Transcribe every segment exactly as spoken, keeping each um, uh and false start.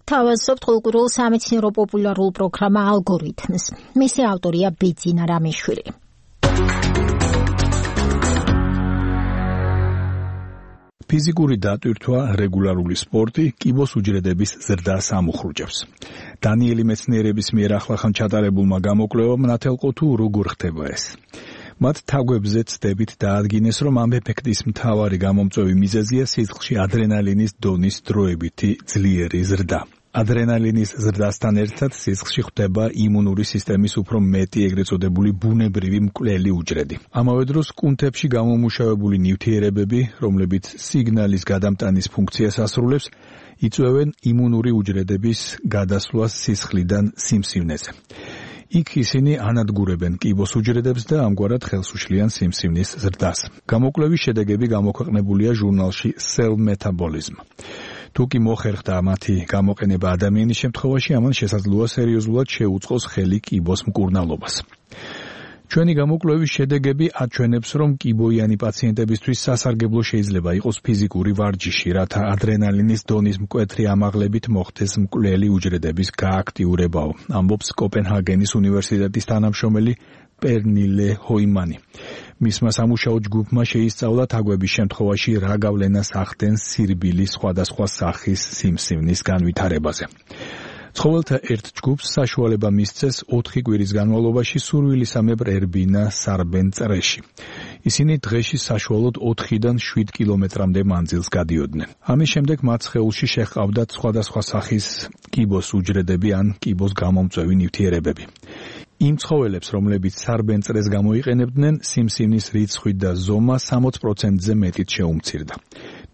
თავაზობთ კულტურულ სამეცნიერო პოპულარულ პროგრამა ალგორითმს. მისი ავტორია ბიძინა რამიშვილი. ფიზიკური დატვირთვა, რეგულარული სპორტი კიბოს უჯრედების ზრდას ამუხრუჭებს. დანიელი მეცნიერების მიერ ახლახან ჩატარებულმა გამოკვლევამ ნათელყო თუ როგორ ხდება ეს. მათ თაგვებზე ცდებით დაადგინეს, რომ ამ ეფექტის მთავარი გამომწვევი მიზეზია სისხლში ადრენალინის დონის დროებითი ძლიერი ზრდა. ადრენალინის ზრდასთან ერთად სისხლში ხდება იმუნური სისტემის უფრო მეტი ეგრეთ წოდებული ბუნებრივი მკვლელი უჯრედი. ამავე დროს კუნთებში გამომუშავებული ნივთიერებები, რომლებიც სიგნალის გადამტანის ფუნქციას ასრულებს, იწვევენ იმუნური უჯრედების გადასვლას სისხლიდან სიმსივნეზე. იქ ისინი ანადგურებენ კიბოს უჯრედებს და ამგვარად ხელს უშლიან სიმსივნის ზრდას. გამოკვლევის შედეგები გამოქვეყნებულია ჟურნალში Cell Metabolism. თუ კი მოხერხდა მათი გამოყენება ადამიანის შემთხვევაში, ამან შესაძლოა სერიოზულად შეუწყოს ხელი კიბოს მკურნალობას. ჩვენი გამოკვლევის შედეგები აჩვენებს, რომ კიბოიანი პაციენტებისთვის სასარგებლო შეიძლება იყოს ფიზიკური ვარჯიში, რათა ადრენალინის დონის მკვეთრი ამაღლებით მოხდეს მკვლელი უჯრედების გააქტიურებაო, ამბობს კოპენჰაგენის უნივერსიტეტის თანამშრომელი პერნილე ჰოიმანი. მისმა სამუშაო ჯგუფმა შეისწავლა თაგვების შემთხვევაში რა გავლენას ახდენს სირბილის სხვადასხვა სახის სიმსივნის განვითარებაზე. ცხოველთა ერთ ჯგუფს საშუალება მისცეს ოთხი კვირის განმავლობაში სურვილისამებრ ერბინა სარბენ წრეში. ისინი დღეში საშუალოდ ოთხიდან შვიდ კილომეტრამდე მანძილს გადიოდნენ. ამის შემდეგ მათ სხეულში შეჰყავდათ სხვადასხვა სახის კიბოს უჯრედები ან კიბოს გამომწვევი ნივთიერებები. იმ ცხოველებს, რომლებიც სარბენ წრეს გამოიყენებდნენ, სიმსივნის რიცხვი და ზომა სამოც პროცენტზე მეტით შეუმცირდა.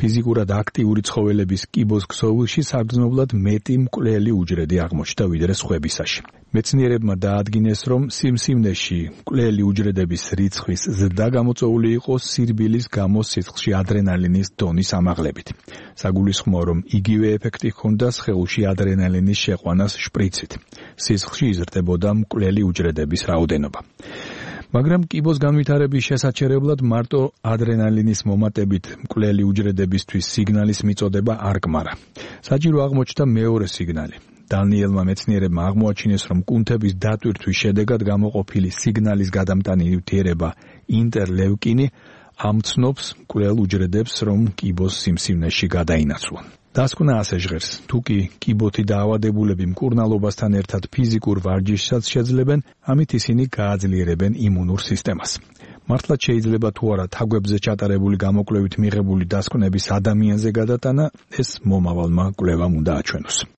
ფიზიკურად აქტიური ცხოველების კიბოს ქსოვილში საგრძნობლად მეტი მკვლელი უჯრედი აღმოჩნდა ვიდრე სხვებისაში. მეცნიერებმა დაადგინეს, რომ სიმსივნეში მკვლელი უჯრედების რიცხვის ზრდა გამოწვეული იყო სირბილის გამო სისხლში ადრენალინის დონის ამაღლებით. საგულისხმოა, რომ იგივე ეფექტი ჰქონდა სხეულში ადრენალინის შეყვანას შპრიცით. სისხლში იზრდებოდა მკვლელი უჯრედების რაოდენობა. მაგრამ კიბოს განვითარების შესაჩერებლად მარტო ადრენალინის მომატებით მკვლელი უჯრედებისთვის სიგნალის მიწოდება არ კმარა. საჭირო აღმოჩნდა მეორე სიგნალი. დანიელმა მეცნიერებმა აღმოაჩინეს, რომ კუნთების დატვირთვის შედეგად გამოყოფილი სიგნალის გადამტანი ნივთიერება ინტერლევკინი ამცნობს მკვლელ უჯრედებს, რომ კიბოს სიმსივნეში გადაინაცვლონ. დასკვნა ასე ჟღერს, თუ კი კიბოთი დაავადებულები მკურნალობასთან ერთად ფიზიკურ ვარჯიშსაც შეძლებენ, ამით ისინი გააძლიერებენ იმუნურ სისტემას. მართლაც შეიძლება თუ არა თაგვებზე ჩატარებული გამოკვლევით მიღებული დასკვნების ადამიანზე გადატანა, ეს მომავალმა კვლევამ უნდა აჩვენოს.